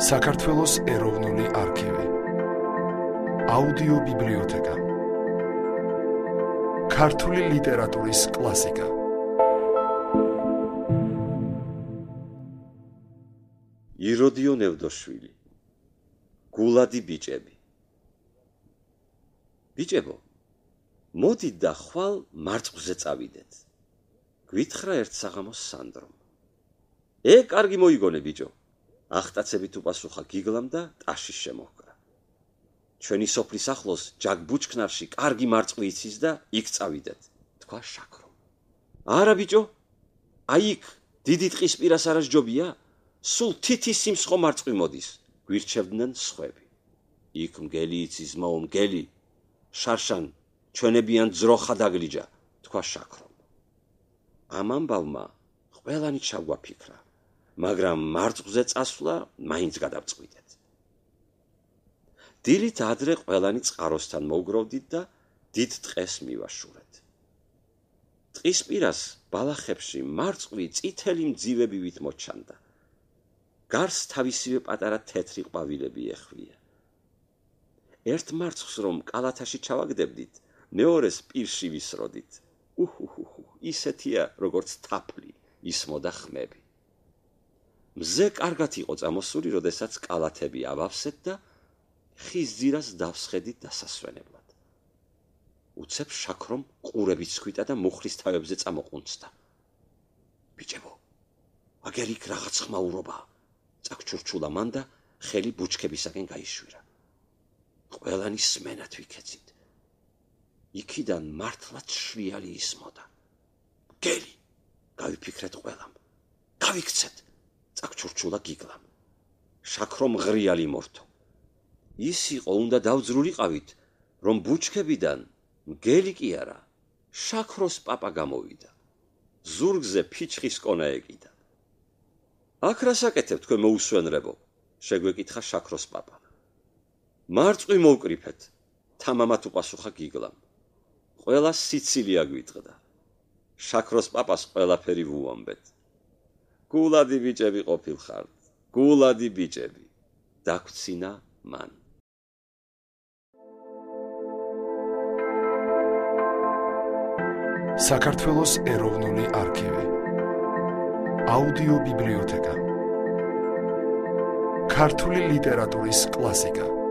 საქართველოს ეროვნული არქივი, აუდიო ბიბლიოთეკა, ქართული ლიტერატურის კლასიკა. იროდიო ნევდოშვილი, გულადი ბიჭები. ბიჭებო, მოდით და ხვალ მარწყვზე წავიდეთ. გვითხრა ერთ საღამოს სანდრომ. კარგი მოიგონე ბიჭო. ახტაცებით უპასუხა გიგლამ და ტაშის შემოჰკრა. ჩვენი სოფლის ახლოს ჯაგბუჩქნარში კარგი მარწყვი იცის და იქ წავიდეთ, თქვა შაქრომ. არა ბიჭო, აი იქ დიდი ტყის პირას არა ჯობია? სულ თითის სიმსხო მარწყვი მოდის, გვირჩევდნენ სხვები. იქ მგელი იცის მაო მგელი, შარშან ჩვენებიან ძროხა დაგლიჯა, თქვა შაქრომ. ამ ამბავმა ყველანი ჩაგვაფიქრა, მაგრამ მარწყვზე წასვლა მაინც გადავწყვიტეთ. დილით ადრე ყველანი წყაროსთან მოვგროვდით და დიდ ტყეს მივაშურეთ. ტყის პირას ბალახებში მარწყვი წითელი მძივებივით მოჩანდა. გარს თავისივე პატარა თეთრი ყვავილები ეხვია. ერთ მარწყს რომ კალათაში ჩავაგდებდით, მეორეს პირში ვისროდით. ისეთია, როგორც თაფლი, ისმოდა ხმები. მზე კარგად იყო წამოსული, როდესაც კალათები ავავსეთ და ხის ძირას დავსხედით დასასვენებლად. უცებ შაქრომ ყურებით სქვიტა და მუხლის თავებზე წამოყუნწდა. ბიჭებო, აგერ იქ რაღაც ხმაურობაა, წაგჩურჩულა მან და ხელი ბუჩქებისაკენ გაიშვირა. ყველანი სმენად ვიქეცით. იქიდან მართლაც შრიალი ისმოდა. გელი, გავიფიქრეთ ყველამ. გავიქცეთ, წაგჩურჩულა გიგლამ. შაქრომ ღრიალი მორთო. ის იყო უნდა დავძრულიყავით, რომ ბუჩქებიდან მგელი კი არა, შაქროს პაპა გამოვიდა. ზურგზე ფიჩხის კონა ეკიდა. აქ რა საკეთებ თქვენ მოუსვენრებო? შეგვეკითხა შაქროს პაპა. მარწყვი მოვკრიფეთ, თამამად უპასუხა გიგლამ. ყველა სიცილია გვიტყდა. შაქროს პაპას ყველაფერი ვუამბეთ. გულადი ბიჭები ყოფილხართ, გულადი ბიჭები, დაგვცინა მან. საქართველოს ეროვნული არქივი, აუდიო ბიბლიოთეკა, ქართული ლიტერატურის კლასიკა.